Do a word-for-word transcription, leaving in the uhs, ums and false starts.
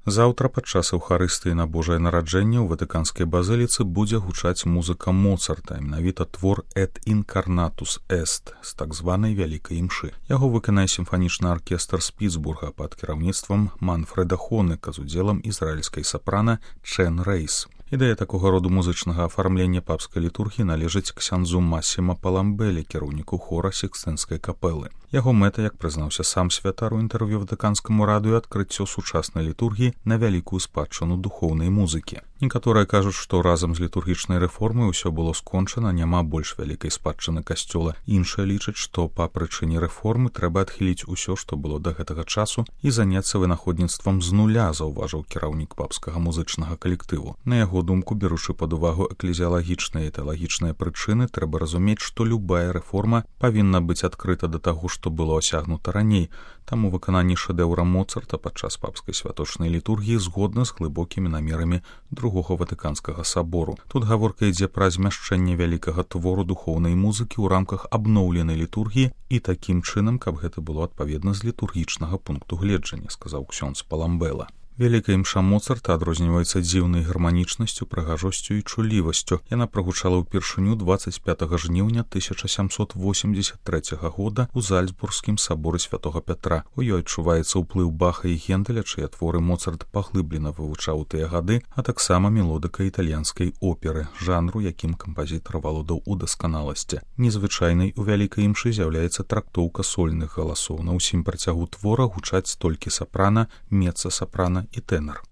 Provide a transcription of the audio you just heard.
Заўтра падчас эўхарыстыі на Божае нараджэнне ў ватыканскай базыліцы будзе гучаць музыка Моцарта, менавіта твор «Et incarnatus est» з так званай вялікай імшы. Яго выканае сімфанічны аркестр з Пітсбурга пад кіраўніцтвам Манфреда Хонека з удзелам ізраільскай сапрана Чен Рейс. Ідэя такога роду музычнага афармлення папскай літургіі належыць ксяндзу Масіма Паламбелі, кіраўніку хора Сікстынскай капэлы. Яго мэта, як прызнаўся сам святар у інтэрв'ю ватыканскаму радыё, адкрыццё сучаснай літургіі на вялікую спадчыну духоўнай музыкі. Некаторыя кажуць, што разам з літургічнай рэформай усё было скончана, няма больш вялікай спадчыны касцёла. Іншыя лічаць, што па прычыне рэформы трэба адхіліць усё, што было да гэтага часу, і заняцца вынаходніцтвам з нуля, заўважыў кіраўнік папскага музычнага калектыву. На яго думку, беручы пад увагу эклезіялагічныя і тэалагічныя прычыны, трэба разумець, што любая рэформа павінна быць адкрыта да таго, што было асягнута раней. Таму выкананне шэдэўра Моцарта падчас папскай святочнай літургіі згодна з глыбокімі намерамі другога ватыканскага сабору. Тут гаворка ідзе пра змяшчэнне вялікага твору духоўнай музыкі ў рамках абноўленай літургіі і такім чынам, каб гэта было адпаведна з літургічнага пункту гледжання, сказаў ксёндз Паламбела. Вялікая імша Моцарта адрозніваецца дзіўнай гарманічнасцю, прыгажосцю і чулівасцю. Яна прагучала ўпершыню дваццаць пятага жніўня тысяча сямсот восемьдесят трэцяга года ў Зальцбургскім саборы святога Пятра. У ёй адчуваецца ўплыў Баха і Генделя, чыя творы Моцарт паглыблена вывучаў у тыя гады, а таксама мелодыка італьянскай оперы, жанру, якім кампазітар валодаў у дасканаласці. Незвычайнай у вялікай імшы з'яўляецца трактоўка сольных галасоў. На ўсім працягу твора гучаць толькі сапрана, меца-сапрана і тэнар.